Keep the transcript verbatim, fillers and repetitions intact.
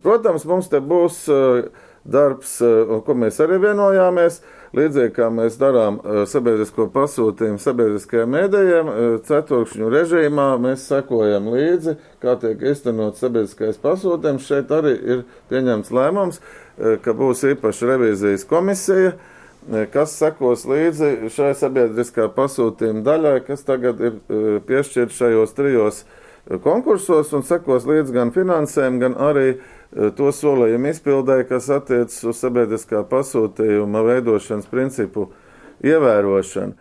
Protams, mums te būs darbs, ko mēs arī vienojāmies, līdzīgi kā mēs darām sabiedrisko pasūtījumu sabiedriskajiem mēdījiem, ceturkšņu režīmā mēs sekojam līdzi, kā tiek iztenot sabiedriskais pasūtījums. Šeit arī ir pieņemts lēmums, ka būs īpaša revīzijas komisija, kas sekos līdzi šai sabiedriskā pasūtījuma daļai, kas tagad ir piešķirt šajos trijos konkursos un sekos līdz gan finansēm, gan arī to solījumu izpildē, kas attiecas uz sabiedriskā pasūtījuma veidošanas principu ievērošanu.